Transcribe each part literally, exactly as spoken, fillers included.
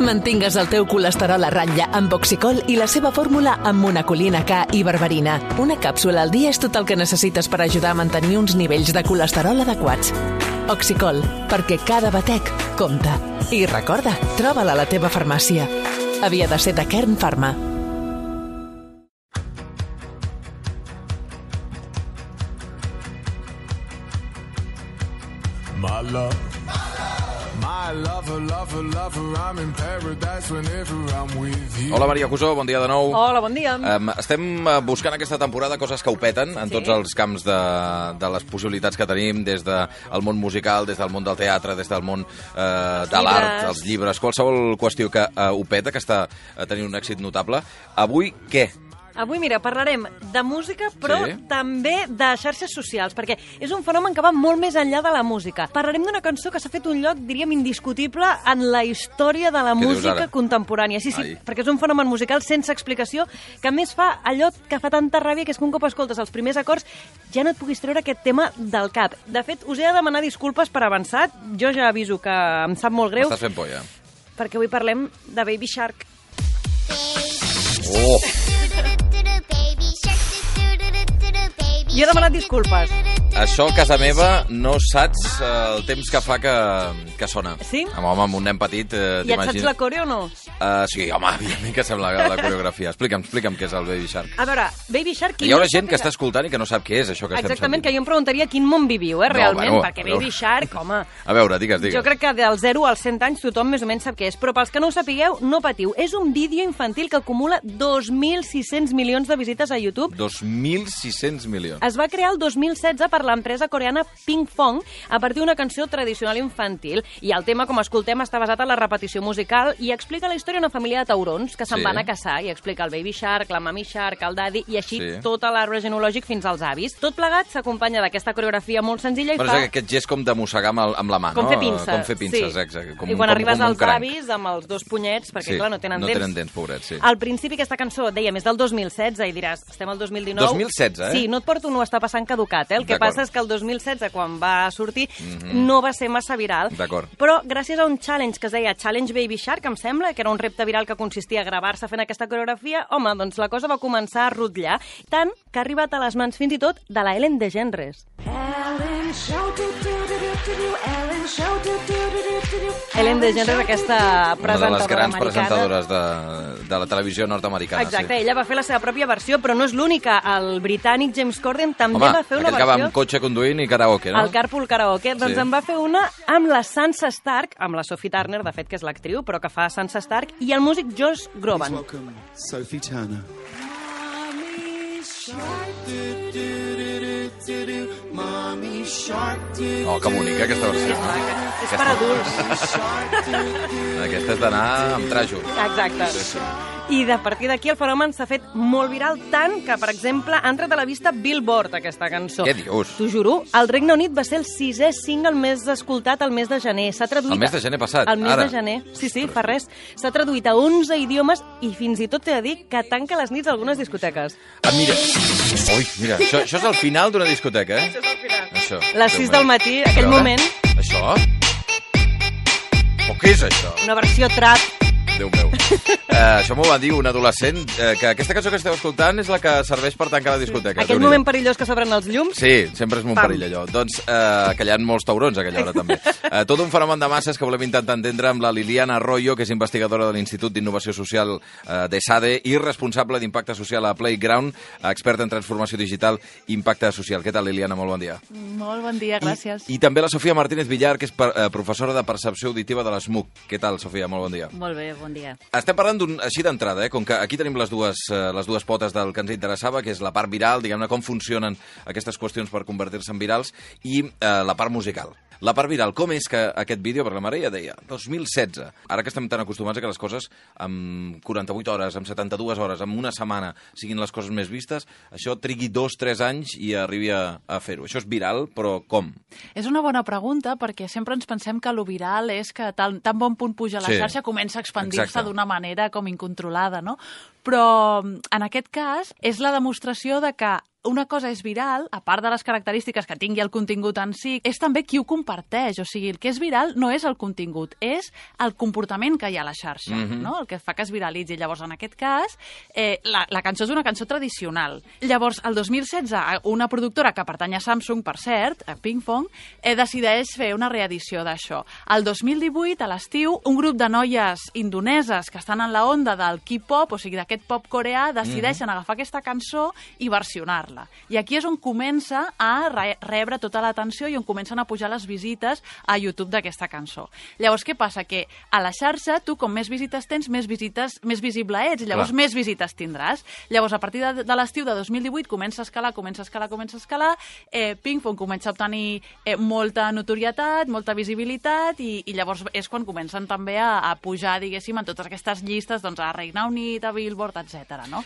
Mantingues el teu colesterol a ratlla amb Oxicol i la seva fórmula amb monacolina K i berberina. Una càpsula al dia és tot el que necessites per ajudar a mantenir uns nivells de colesterol adequats. Oxicol, perquè cada batec compta. I recorda, troba-la a la teva farmàcia. Havia de ser de Kern Pharma. My love, my lover, lover, lover, I'm in paradise whenever I'm with you. Hola, Maria Cusó, bon dia de nou. Hola, bon dia. Um, estem buscant aquesta temporada coses que ho peten en Sí. tots els camps de, de les possibilitats que tenim, des del món musical, des del món del teatre, des del món uh, de l'art, llibres. els llibres, qualsevol qüestió que uh, ho peta, que està uh, tenint un èxit notable. Avui, què? Avui, mira, parlarem de música, però Sí. també de xarxes socials, perquè és un fenomen que va molt més enllà de la música. Parlarem d'una cançó que s'ha fet un lloc, diríem, indiscutible en la història de la Què dius música ara? contemporània. Sí, sí, Ai. perquè és un fenomen musical sense explicació, que a més fa allò que fa tanta ràbia, que és que un cop escoltes els primers acords ja no et puguis treure aquest tema del cap. De fet, us he de demanar disculpes per avançat. Jo ja aviso que em sap molt greu, M'estàs fent por, ja. perquè avui parlem de Baby Shark. Oh! Jo he demanat disculpes. Això, a casa meva, no saps eh, el temps que fa que, que sona. Sí? Amb, home, amb un nen petit, eh, I et saps t'imagines... la coreo o no? Uh, sí, home, evidentment que sembla la, la coreografia. Explica'm, explica'm què és el Baby Shark. A veure, Baby Shark... qui Hi haurà no gent que sàpiga- està escoltant i que no sap què és això que estem Exactament, sentint. que jo em preguntaria quin món viviu, eh, No, realment, bueno, perquè a veure. Baby Shark, home... A veure, digues, digues. Jo crec que del zero als cent anys tothom més o menys sap què és, però pels que no ho sapigueu, no patiu. És un vídeo infantil que acumula dos mil sis-cents milions de visites a YouTube. dos mil sis-cents milions. Es va crear el dos mil setze per l'empresa coreana Ping Fong a partir d'una cançó tradicional infantil. I el tema, com escoltem, està basat en la repetició musical i explica la història d'una família de taurons que se'n Sí. van a caçar i explica el Baby Shark, la Mami Shark, el Daddy i així Sí. tot l'arbre genològic fins als avis. Tot plegat s'acompanya d'aquesta coreografia molt senzilla i Però fa... és aquest gest com de mossegar amb, el, amb la mà, Com no? fer pinces. Com fer pinces, sí. exacte. Com, I quan com, arribes com un als cranc. avis amb els dos punyets, perquè Sí, clar, no tenen no dents. tenen dents, pobrets, sí. Al principi aquesta cançó, dèiem, és del dos mil setze i diràs, estem al dos mil dinou. dos mil setze, eh? Sí, no et porto, no està passant caducat, eh? El que D'acord. passa és que el dos mil setze, quan va sortir, mm-hmm. no va ser massa viral. D'acord. Però gràcies a un challenge que es deia Challenge Baby Shark, em sembla, que era un repte viral que consistia a gravar-se fent aquesta coreografia, home, doncs la cosa va començar a rotllar, tant que ha arribat a les mans fins i tot de la Ellen DeGeneres. Ellen DeGeneres, aquesta Una de les presentadora grans americana. presentadores de, de la televisió nord-americana. Exacte, sí. ella va fer la seva pròpia versió, però no és l'única. El britànic James Corden també Home, va fer una aquell que va versió... amb cotxe conduint i karaoke, no? El Carpool Karaoke, doncs Sí. en va fer una amb la Sansa Stark, amb la Sophie Turner, de fet, que és l'actriu, però que fa Sansa Stark, i el músic Josh Groban. Welcome, Sophie Turner. Oh, que bonica, aquesta versió. No? És per adults. Aquesta és d'anar amb trajo. Exacte. Sí, sí. I de partir d'aquí el fenomen s'ha fet molt viral, tant que, per exemple, ha entrat a la vista Billboard, aquesta cançó. Què dius? T'ho juro, el Regne Unit va ser el sisè single més escoltat el mes de gener. S'ha traduït... El mes de gener passat, El mes ara. de gener, sí, sí, fa res. S'ha traduït a onze idiomes i fins i tot t'he de dir que tanca les nits a algunes discoteques. Ah, mira. Ui, mira, això, això és el final d'una discoteca, eh? Això és el final. Això. Les sis del matí, A aquell veure. moment, Això? O què és això? una versió trap. Déu meu. Uh, això m'ho va dir un adolescent, uh, que aquesta cançó que esteu escoltant és la que serveix per tancar la discoteca. Aquell Déu-n'hi-do. moment perillós que s'obren els llums. Sí, sempre és un Pam. perill allò. Doncs uh, que hi ha molts taurons a aquella hora també. Uh, tot un fenomen de masses que volem intentar entendre amb la Liliana Arroyo, que és investigadora de l'Institut d'Innovació Social uh, de SADE i responsable d'impacte social a Playground, experta en transformació digital i impacte social. Què tal, Liliana? Molt bon dia. Molt bon dia, gràcies. I, i també la Sofia Martínez Villar, que és per, uh, professora de percepció auditiva de l'ESMUC. Què tal, Sofia? Molt bon dia. Molt bé, bon dia. Estem parlant d'un, així d'entrada, eh? Com que aquí tenim les dues, eh, les dues potes del que ens interessava, que és la part viral, diguem-ne, com funcionen aquestes qüestions per convertir-se en virals, i eh, la part musical. La part viral, com és que aquest vídeo, perquè la Maria deia, dos mil setze, ara que estem tan acostumats a que les coses amb quaranta-vuit hores, amb setanta-dues hores, amb una setmana siguin les coses més vistes, això trigui dos, tres anys i arribi a, a fer-ho. Això és viral, però com? És una bona pregunta perquè sempre ens pensem que lo viral és que tan, tan bon punt puja a la Sí. xarxa comença a expandir-se Exacte. d'una manera com incontrolada, no? Però en aquest cas és la demostració de que una cosa és viral, a part de les característiques que tingui el contingut en si, és també qui ho comparteix. O sigui, el que és viral no és el contingut, és el comportament que hi ha a la xarxa, mm-hmm. no? El que fa que es viralitzi. Llavors, en aquest cas, eh, la, la cançó és una cançó tradicional. Llavors, el dos mil setze, una productora que pertany a Samsung, per cert, a Pinkfong, eh, decideix fer una reedició d'això. El dos mil divuit, a l'estiu, un grup de noies indoneses que estan en la onda del K-pop, o sigui, d'aquest pop coreà, decideixen mm-hmm. agafar aquesta cançó i versionar-la. I aquí és on comença a re rebre tota l'atenció i on comencen a pujar les visites a YouTube d'aquesta cançó. Llavors, què passa? Que a la xarxa, tu, com més visites tens, més visites, més visible ets, llavors Clar. més visites tindràs. Llavors, a partir de, de l'estiu de dos mil divuit, comença a escalar, comença a escalar, comença a escalar, eh, Pinkfong comença a obtenir eh, molta notorietat, molta visibilitat, i, i llavors és quan comencen també a, a pujar, diguéssim, en totes aquestes llistes, doncs, a Regne Unit, a Billboard, etcètera, no?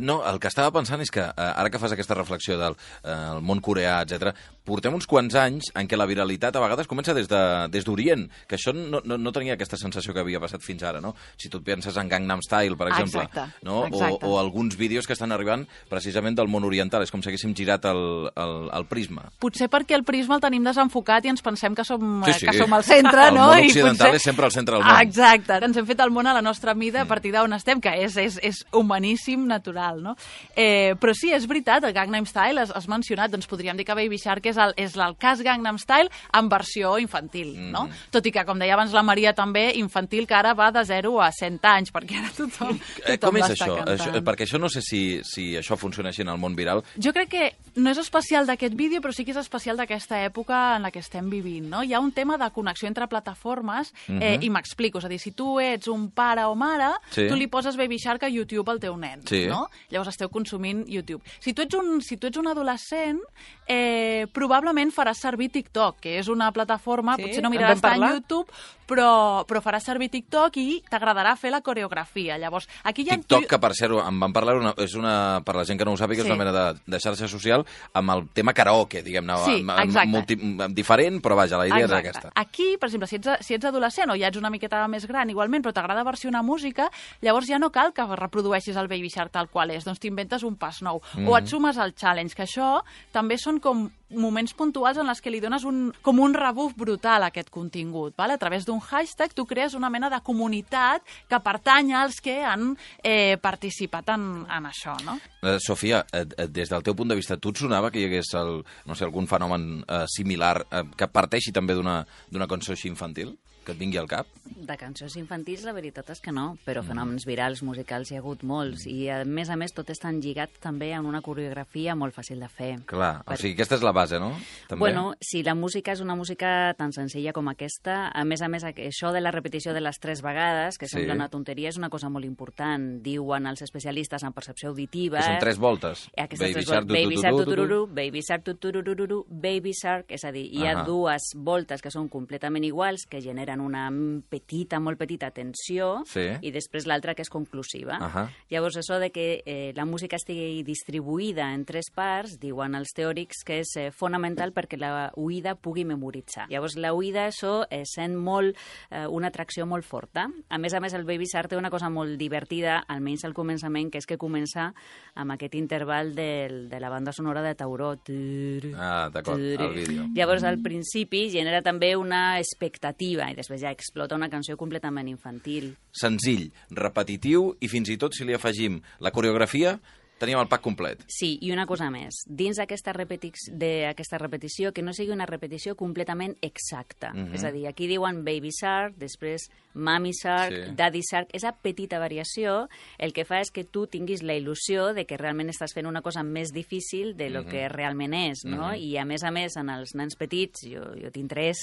No, el que estava pensant és que, eh, ara que fas aquesta reflexió del eh, el món coreà, etcètera, portem uns quants anys en què la viralitat a vegades comença des de- des d'Orient, que això no, no, no tenia aquesta sensació que havia passat fins ara, no? Si tu et penses en Gangnam Style, per exemple, Exacte, no? exacte. O, o alguns vídeos que estan arribant precisament del món oriental, és com si haguéssim girat el, el, el prisma. Potser perquè el prisma el tenim desenfocat i ens pensem que som, Sí, eh, sí. que som al centre, El no? món I occidental és sempre al centre del món. Ah, exacte. Ens hem fet el món a la nostra mida a partir d'on estem, que és, és, és humaníssim, natural, no? Eh, però sí, és veritat, el Gangnam Style has, has mencionat, doncs podríem dir que Baby Shark és el, és el cas Gangnam Style en versió infantil, Mm. no? Tot i que, com deia abans la Maria, també infantil, que ara va de zero a cent anys, perquè ara tothom, Eh, tothom com és l'està això? cantant. això? Perquè això no sé si, si això funciona així en el món viral. Jo crec que no és especial d'aquest vídeo, però sí que és especial d'aquesta època en la que estem vivint, no? Hi ha un tema de connexió entre plataformes, eh, i m'explico, és a dir, si tu ets un pare o mare, Sí. tu li poses Baby Shark a YouTube al teu nen, Sí. no? Llavors esteu consumint YouTube. Si tu ets un, si tu ets un adolescent, eh, probablement faràs servir TikTok, que és una plataforma, Sí, potser no en miraràs vam tant parlar. YouTube, però, però faràs servir TikTok i t'agradarà fer la coreografia. Llavors, aquí ja... TikTok, que per cert, en vam parlar, una, és una, per la gent que no ho sàpiga, és Sí. una mena de, de xarxa social amb el tema karaoke, diguem-ne, Sí, amb- amb- exacte. multi, amb diferent, però vaja, la idea Exacte. és aquesta. Aquí, per exemple, si ets, si ets adolescent o ja ets una miqueta més gran, igualment, però t'agrada versionar música, llavors ja no cal que reprodueixis el Baby Shark tal qual és, doncs t'inventes un pas nou. Mm. O et sumes al challenge, que això també són com moments puntuals en les que li dones un, com un rebuf brutal a aquest contingut. Vale? A través d'un hashtag tu crees una mena de comunitat que pertany als que han eh, participat en, en això, no? Eh, Sofia, eh, eh, des del teu punt de vista, tu et sonava que hi hagués el, no sé, algun fenomen eh, similar eh, que parteixi també d'una d'una cançó així infantil? Que et vingui al cap? De cançons infantils, la veritat és que no, però fenòmens virals musicals hi ha hagut molts, i a més a més tot està lligat també en una coreografia molt fàcil de fer. Clar, Per- o sigui, aquesta és la base, no? També? Bueno, si la música és una música tan senzilla com aquesta, a més a més, això de la repetició de les tres vegades, que Sí. sembla una tonteria, és una cosa molt important. Diuen els especialistes en percepció auditiva... Que són tres voltes. Aquestes Baby tres Shark, voltes. Baby Shark, tu, tu, tu, tu. tutururu, Baby Shark, tutururu, Baby Shark, és a dir, hi ha Ahà. dues voltes que són completament iguals, que generen una petita, molt petita tensió, Sí. i després l'altra que és conclusiva. Ahà. Llavors, això de que eh, la música estigui distribuïda en tres parts, diuen els teòrics que és eh, fonamental perquè la oïda pugui memoritzar. Llavors, la oïda, això, eh, sent molt, eh, una atracció molt forta. A més a més, el Baby Shark té una cosa molt divertida, almenys al començament, que és que comença amb aquest interval del, de la banda sonora de Tauró. Turu, Ah, d'acord, turu. el vídeo. Llavors, al principi, genera també una expectativa, i després ja explota una canció completament infantil. Senzill, repetitiu, i fins i tot si li afegim la coreografia, teníem el pack complet. Sí, i una cosa més. Dins d'aquesta repetició, d'aquesta repetició, que no sigui una repetició completament exacta. Mhm. És a dir, aquí diuen Baby Shark, després Mommy Shark, Sí. Daddy Shark. Esa petita variació el que fa és que tu tinguis la il·lusió de que realment estàs fent una cosa més difícil de lo Mhm. que realment és, no? Mhm. I a més a més, en els nens petits, jo, jo tinc tres,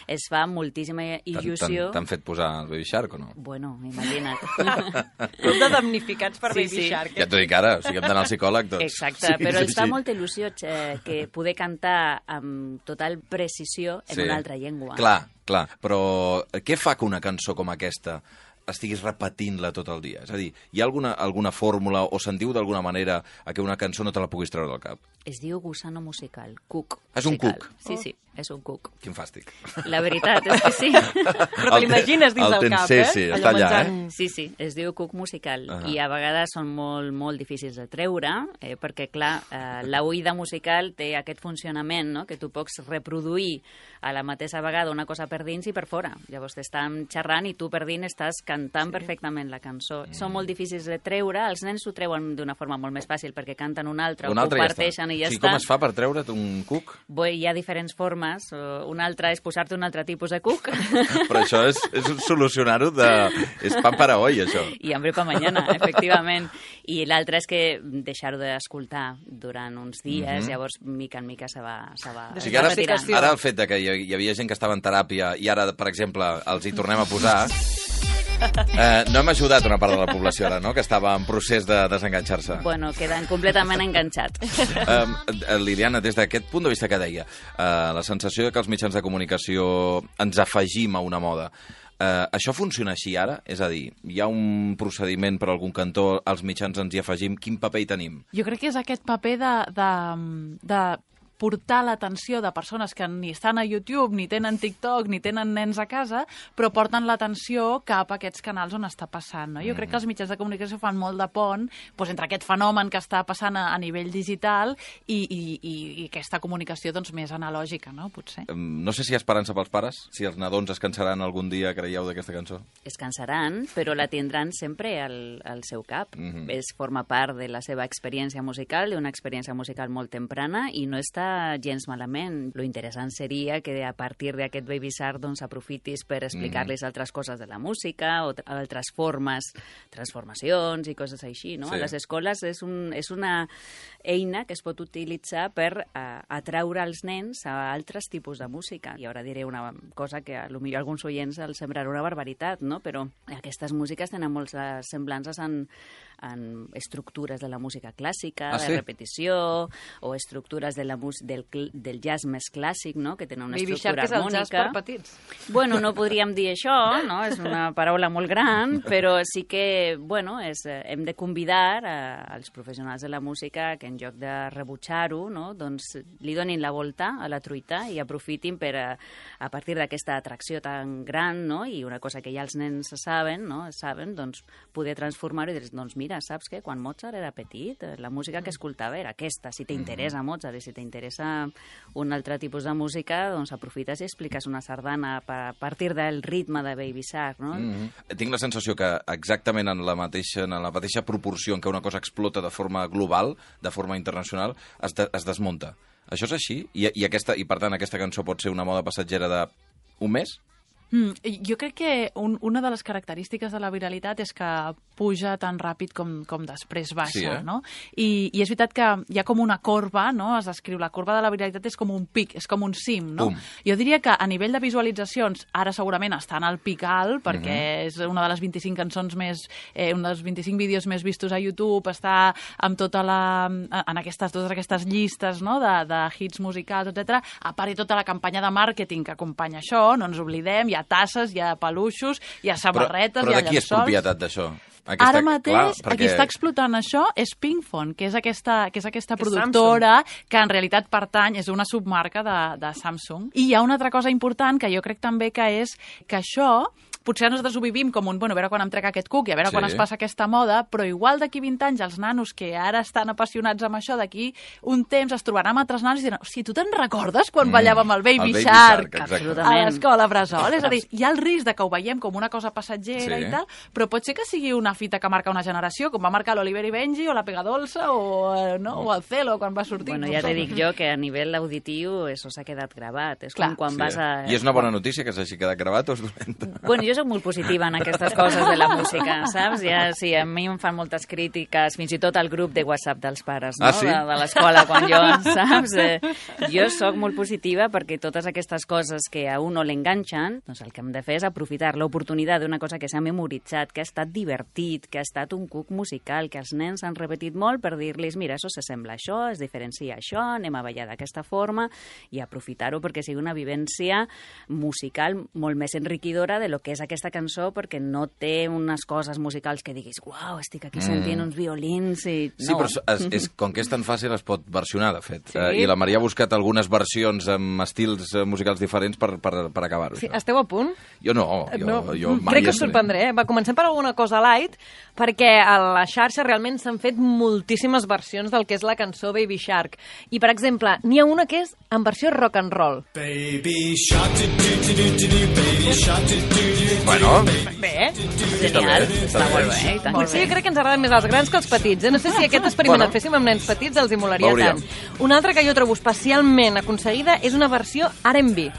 es fa moltíssima T'han- il·lusió. T'han t'han fet posar el Baby Shark o no? Bueno, imagina't. Tot de damnificats per Sí, Baby sí. Shark. Ja t'ho dic ara, o sigui, hem d'anar al psicòleg tots. Exacte, Sí, però sí, els fa sí. molta il·lusió eh, que poder cantar amb total precisió en Sí. una altra llengua. Clar, clar, però què fa que una cançó com aquesta estiguis repetint-la tot el dia? És a dir, hi ha alguna, alguna fórmula o se'n diu d'alguna manera a que una cançó no te la puguis treure del cap? Es diu gusano musical, cuc. És un musical. cuc. Sí, sí. és un cuc. Quin fàstic. La veritat és que sí. Però te l'imagines dins del cap, eh? Sí, sí, Allò està allà, menjant. eh? Sí, sí, es diu cuc musical Ah. i a vegades són molt, molt difícils de treure eh, perquè, clar, eh, la oïda musical té aquest funcionament, no?, que tu pots reproduir a la mateixa vegada una cosa per dins i per fora. Llavors t'estan xerrant i tu per dins estàs cantant sí. perfectament la cançó. Mm. Són molt difícils de treure, els nens ho treuen d'una forma molt més fàcil perquè canten una altra, Una o altra ho ja està. parteixen i ja Sí, està. com es fa per treure't un cuc? Bé, hi ha diferents formes. Una altra és posar-te un altre tipus de cuc. Però això és, és solucionar-ho de... És pan para hoy, això. I hambre pa mañana, efectivament. I l'altre és que deixar-ho d'escoltar durant uns dies, mm -hmm. llavors, mica en mica se va, se va, O se sigui, va ara, retirant. ara el fet de que hi hi havia gent que estava en teràpia i ara, per exemple, els hi tornem a posar... Eh, no hem ajudat una part de la població ara, no?, que estava en procés de desenganxar-se. Bueno, queden completament enganxats. Eh, Liliana, des d'aquest punt de vista que deia, eh, la sensació de que els mitjans de comunicació ens afegim a una moda, eh, això funciona així ara? És a dir, hi ha un procediment per algun cantó, els mitjans ens hi afegim, quin paper hi tenim? Jo crec que és aquest paper de, de, de portar l'atenció de persones que ni estan a YouTube, ni tenen TikTok, ni tenen nens a casa, però porten l'atenció cap a aquests canals on està passant. No? Jo crec que els mitjans de comunicació fan molt de pont doncs, entre aquest fenomen que està passant a, a nivell digital i, i, i, i aquesta comunicació doncs, més analògica, no? Potser. No sé si hi ha esperança pels pares, si els nadons es cansaran algun dia, creieu, d'aquesta cançó? Es cansaran, però la tindran sempre al, al seu cap. Mhm. És, forma part de la seva experiència musical, d'una experiència musical molt temprana, i no està gens malament. Lo interessant seria que a partir d'aquest Baby Shark doncs, aprofitis per explicar-les altres coses de la música o altres formes, transformacions i coses així. No? Sí. A les escoles és, un, és una eina que es pot utilitzar per uh, atraure els nens a altres tipus de música. I ara diré una cosa que a lo millor alguns oients els semblarà una barbaritat, no? Però aquestes músiques tenen moltes semblances en, en estructures de la música clàssica, Ah, de sí? repetició, o estructures de la mus del, cl- del jazz més clàssic, no? Que tenen una Baby estructura Shark és el jazz per harmònica. petits. Bueno, no podríem dir això, no? És una paraula molt gran, però sí que, bueno, és, eh, hem de convidar a, als professionals de la música que en lloc de rebutjar-ho, no? Doncs li donin la volta a la truita i aprofitin per, a, a partir d'aquesta atracció tan gran, no? I una cosa que ja els nens saben, no? Saben, doncs, poder transformar-ho i dir, doncs mira, saps què? Quan Mozart era petit, la música que escoltava era aquesta. Si t'interessa Mozart i si t'interessa un altre tipus de música, doncs aprofites i expliques una sardana a partir del ritme de Baby Shark, no? Mm -hmm. Tinc la sensació que exactament en la mateixa, en la mateixa proporció en què una cosa explota de forma global, de forma internacional, es, de, es desmunta. Això és així? I, i, aquesta, I per tant aquesta cançó pot ser una moda passatgera de un mes? Mm, jo crec que un, una de les característiques de la viralitat és que puja tan ràpid com, com després baixa, Sí, eh? no? I, I és veritat que hi ha com una corba, no? Es descriu, la corba de la viralitat és com un pic, és com un cim, no? Pum. Jo diria que a nivell de visualitzacions ara segurament estan al pic alt, perquè Mhm. és una de les vint-i-cinc cançons més, eh, un dels vint-i-cinc vídeos més vistos a YouTube, està amb tota la, en aquestes, totes aquestes llistes, no? de, de hits musicals, etcètera. A part de tota la campanya de màrqueting que acompanya això, no ens oblidem, hi ha tasses, hi ha peluixos, hi ha samarretes, però, però hi ha de qui és llençols. propietat d'això? Ara mateix, clar, perquè... qui està explotant això és Pinkphone, que és aquesta, que és aquesta Que és productora que en realitat pertany, és una submarca de, de Samsung. I hi ha una altra cosa important que jo crec també que és que això potser nosaltres ho vivim com un, bueno, a veure quan em trec aquest cuc i a veure Sí. quan es passa aquesta moda, però igual d'aquí vint anys els nanos que ara estan apassionats amb això, d'aquí un temps es trobaran amb altres nanos i diran, si tu te'n recordes quan Mm, ballàvem el Baby, el Baby Shark, Shark, exacte. a l'escola Bressol? És a dir, hi ha el risc de que ho veiem com una cosa passatgera Sí. i tal, però pot ser que sigui una fita que marca una generació, com va marcar l'Oliver i Benji o la Pegadolsa o, eh, no? o el Celo quan va sortir. Bueno, no ja sé. te dic jo que a nivell auditiu això s'ha quedat gravat. És Clar. com quan Sí, vas a... eh? I és una bona notícia que s'hagi quedat gravat o és dolenta? Bueno, jo soc molt positiva en aquestes coses de la música, saps? Ja, sí, a mi em fan moltes crítiques, fins i tot al grup de WhatsApp dels pares, no? Ah, sí? De, de l'escola, quan jo, saps? Eh, jo sóc molt positiva perquè totes aquestes coses que a un no l'enganxen, doncs el que hem de fer és aprofitar l'oportunitat d'una cosa que s'ha memoritzat, que ha estat divertit, que ha estat un cuc musical, que els nens han repetit molt per dir-los, mira, això s'assembla a això, es diferencia a això, anem a ballar d'aquesta forma i aprofitar-ho perquè sigui una vivència musical molt més enriquidora de lo que és és aquesta cançó perquè no té unes coses musicals que diguis uau, estic aquí sentint mm. uns violins i... No. Sí, però és, és, com que és tan fàcil es pot versionar, de fet. Sí. Uh, I la Maria ha buscat algunes versions amb estils musicals diferents per, per, per acabar-ho. Sí, esteu a punt? Jo no, jo, no. jo mai Crec que us estaré. sorprendré. Eh? Va, comencem per alguna cosa light, perquè a la xarxa realment s'han fet moltíssimes versions del que és la cançó Baby Shark. I, per exemple, n'hi ha una que és en versió rock and roll. Baby shark, do do do do do do, baby shark, do do do do. Bueno, Bé, Genial, bé, està molt bé. I tant que Potser sí. jo crec que ens agraden més els grans que els petits. Eh? No sé si aquest experiment Bueno. el féssim amb nens petits els hi molaria Veuríem. tant. Una altra que jo trobo especialment aconseguida és una versió R and B.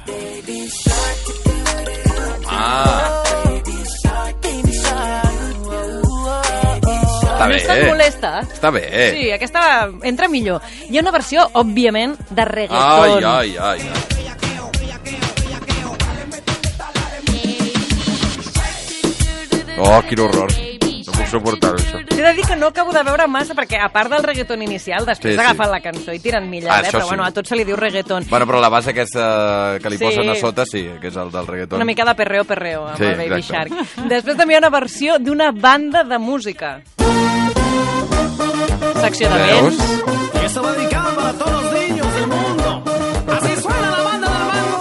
ah... Està No bé, és tan molesta. Està bé. Sí, aquesta entra millor. Hi ha una versió, òbviament, de Ai, reggaeton. ai, ai, ai. Oh, quin horror. No puc suportar això. T'he de dir que no acabo de veure massa, perquè a part del reggaeton inicial, després Sí, sí. agafen la cançó i tiren milles, Ah, eh? això Però sí. bueno, a tot se li diu reggaeton. Bueno, però la base aquesta que li Sí. posen a sota, sí, que és el del reggaeton. Una mica de perreo, perreo, amb Sí, el Baby exacte. Shark. Després també hi ha una versió d'una banda de música. Secció de Veus? vents. Y esto va dedicado para todos los niños del mundo. Así suena la banda del mango.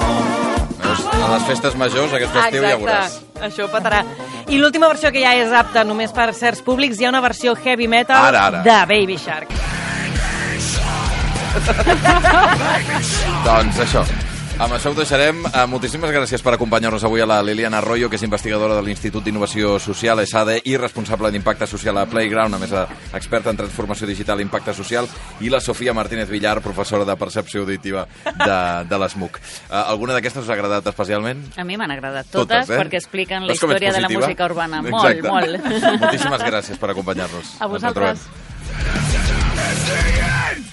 Veus? A les festes majors, aquest estiu ja veuràs. Això petarà. I l'última versió que ja és apta només per certs públics, hi ha una versió heavy metal Ara, ara. de Baby Shark. Doncs això. Amb això ho deixarem. Uh, moltíssimes gràcies per acompanyar-nos avui a la Liliana Arroyo, que és investigadora de l'Institut d'Innovació Social, E S A D E, i responsable d'impacte social a Playground, a més a experta en transformació digital i impacte social, i la Sofia Martínez Villar, professora de percepció auditiva de, de l'ESMUC. Uh, alguna d'aquestes us ha agradat especialment? A mi m'han agradat totes, Totes, eh? perquè expliquen la Veus com ets història de la positiva? música urbana. Exacte. Molt, molt. Moltíssimes gràcies per acompanyar-nos. A Ens vosaltres. retrobem.